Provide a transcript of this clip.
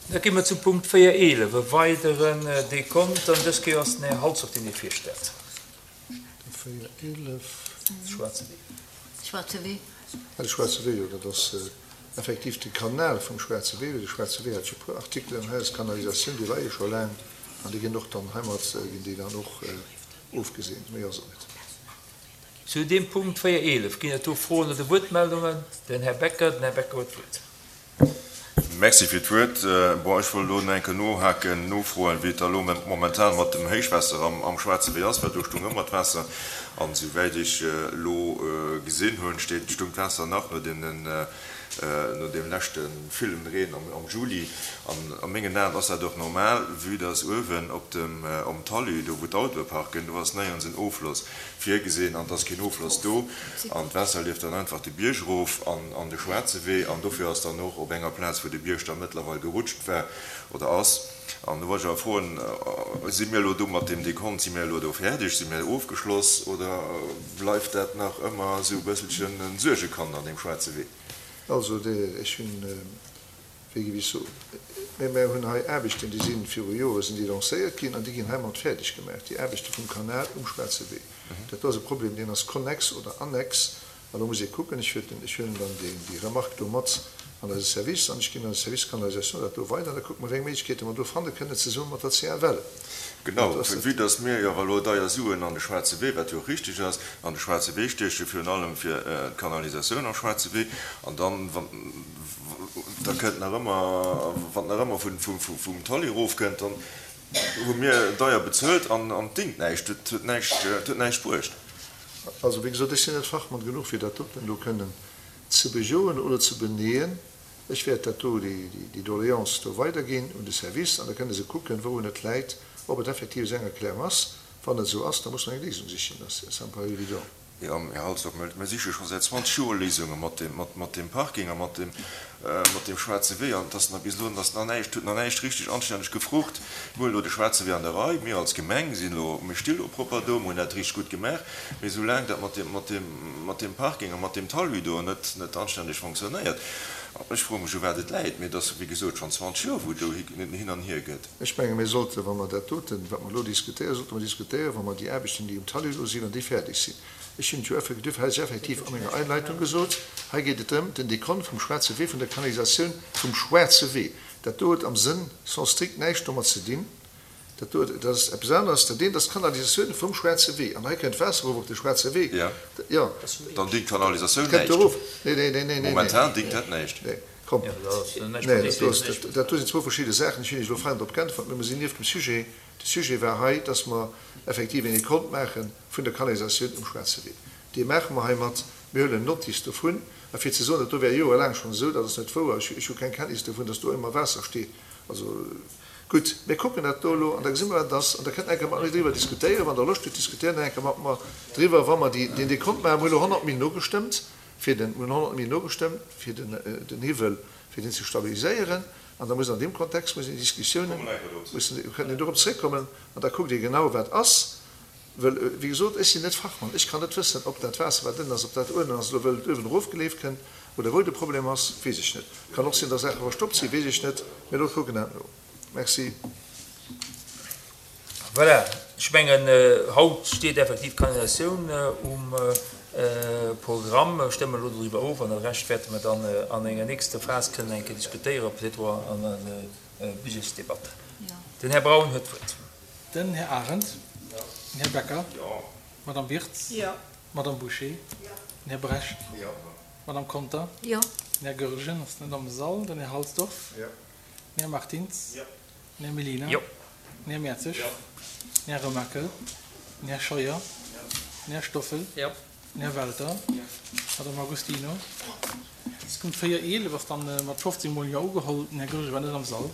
Da gi mer zum Punkt 4.11, e weideren Dekont, an dës Kéier ass den Här Halsdorf, deen dee virstellt. De 4.11. De Schwaarze Wee. Schwaarze Wee. Ah, de Schwaarze Wee, jo, dat ass effektiv de Kanal vum Schwaarze Wee. De Schwaarze Wee hat jo e puer Artikelen hei, ass d'Kanalisatioun, déi leie scho laang an déi ginn och dann heimat, ginn déi dann och ofgeseent. Méi ass et net. Zu deem Punkt 4.11, ginn et do Froen oder Wuertmeldungen? Den Här Becker, den Här Becker huet d'Wuert. Merci fir d'Wuert. Bon, ech wollt elo nach eng Kéier nohaken, nofroen, wéi et da elo momentan mat dem Héichwaasser am Schwaarze Wee ass, well do stung ëmmer d'Waasser. An esouwäit ech elo gesinn hunn, steet, stung d'Waasser nach no deenen, no deem leschte villen Reen am Juli. An a mengen Aen ass dat och normal, vue dass uewen op dem, om Talus, do wou d'Autoe parken, do ass néierens en Ofloss virgesinn an et ass keen Ofloss do an d'Waasser leeft dann einfach de Bierg erof an an de Schwaarze Wee an dofir ass dann och op enger Plaz, wou de Bierg da mëttlerweil gerutscht war oder ass. An do wollt ech awer froen, Si mir elo do mat deem Dekont, si mir elo do fäerdeg, si mir ofgeschloss oder bleift dat nach ëmmer esou e bësselchen e Suergekand an deem Schwaarze Wee? Also, ech hunn Wéi géif ech soen? Mä mär hunn hei Aarbechten, déi si viru Jore sinn déi lancéiert ginn an déi ginn heimat fäerdeg gemaach, déi Aarbechte vum Kanal um Schwaarze Wee. Dat do ass e Problem, deen ass konnex oder annex. An do muss ee kucken. Ech huelen, ech huelen dann déi, déi Remarque do mat an eise Service an ech ginn an de Service Canalisation dat do weider an da kucke mer, wéi eng Méiglechkeete mer do fanne kënnen zesumme mat der CFL. Genau, vue dass mir jo awer elo deier Suen an de Schwaarze Wee, wat jo och richtig ass, an de Schwaarze Wee stiechen, virun allem fir d'Kanalisatioun am Schwaarze Wee, an dann, wann, da kënnt nach ëmmer, wann nach ëmmer vum Talli erofkënnt, dann hu mir deier bezuelt an et dingt näischt, et huet näischt, et huet näischt bruecht. Also, wéi gesot, ech sinn net Fachmann genuch, fir dat doten elo kënnen ze bejoen oder ze beneeën. Ech wäert dat do, déi Doléance do weiderginn un de Service an da kënne se kucken, wourun et läit, ob et effektiv esou eng Erklärung ass. Wann et esou ass, da muss mer eng Léisung sichen, ça me paraît évident. Jo, Här Halsdorf, mir siche scho säit 20 Joer Léisunge mat deem Parking a mat deem schwaarze Wee an et ass nach bis elo ass nach näischt, huet nach näischt richtig anstänneg gefrucht. Mir hunn elo de schwaarze Wee an der Rei, mir als Gemeng sinn elo, mir sti elo propper do, mir hunn dat richtig gutt gemaach, mee soulaang dat mat deem Parking a mat deem Talus do net anstänneg fonctionnéiert, ech froe mech u wat et läit, mee et ass wéi gesot schonn 20 Joer wou do hin an hier gëtt. Ech menge mir sollten, wa mer dat doten, wat mer elo diskutéieren, sollte mer diskutéieren, wa mer déi Aarbechten, déi um Talus elo sinn, wann déi fäerdeg sinn. Ech hunn et jo effektiv, hei ass effektiv a menger Einleitung gesot, hei geet et drëm, den Dekont vum Schwaarze Wee, vun der Kanalisatioun vum Schwaarze Wee. Dat do huet am Sënn sans strikt näischt domat ze dinn. Dat do, dat ass eppes aneres. Dat eent ass d'Kanalisatioun vum Schwaarze Wee. An hei kënnt d'Waasser erof op de Schwaarze Wee. Jo. Dann dingt d'Kanalisatioun näischt. Nee, nee, nee, nee, nee. Momentan dingt dat näischt. Nee. Komm. Nee, dat do ass, dat do sinn zwou verschidde Saachen. Ech hunn Iech elo fein drop geäntwert, mä mer sinn nieft dem Sujet. De Sujet war hei, dass mer effektiv een Dekont maache vun der Kanalisatioun um Schwaarze Wee. Dee maache mer heimat. Mir huelen Notice dovun. A fir ze soen, dat do wär joerelaang schonn esou, dat ass net wouer. Ech hu keng Kenntnis dovun, dass do ëmmer Waasser steet. Also gutt, mir kucken dat do elo an da gesi mer, wat et ass. An da kënnt Der eng Kéier mat mir driwwer diskutéieren. Wann Der Loscht hutt, diskutéiert nach eng Kéier mat mer driwwer, wa mer déi, deen Dekont maachen. Mir hu elo 100 Mille nogestëmmt fir den, mir hunn 100 Mille nogestëmmt fir den, den Hiwwel, fir deen ze stabiliséieren. An da muss an deem Kontext mussen déi Diskussiounen, mussen, kënnt een dorop zréckkommen an da kuckt ee genau, wat ass. Well, wéi gesot, ech sinn net Fachmann, ech kann net wëssen, ob dat Waasser, wat ënnen ass, ob dat uewen ass elo wëll et uewen erofgeleeft kënnt oder wou de Problem ass, weess ech net. Kann och sinn, datt Saache verstoppt sinn, weess ech net. Mee elo kucken dat no. Merci. Voilà, ech mengen, haut steet effektiv d'Kanalisatioun um Programm. Mir stëmmen elo doriwwer of an de Rescht wäerte mer dann an enger nächster Phas kënnen eng Kéier diskutéieren, peut-être och an der Budgetsdebatt. Den Här Braun huet d'Wuert. Den Här Arendt. Den Här Becker. D'Madame Wirtz. D'Madame Bouché. Den Här Brecht. D'Madame Conter. Den Här Goergen ass net am Sall. Den Här Halsdorf. Den Här Martins. Den Här Mellina. Den Här Mertzig. Den Här Remakel. Den Här Scheuer. Den Här Stoffel. Den Här Welter. D'Madame Agostino. Punkt 4, 11 ass dann mat 15 mol Jo ugeholl. Den Här Goergen war net am Sall.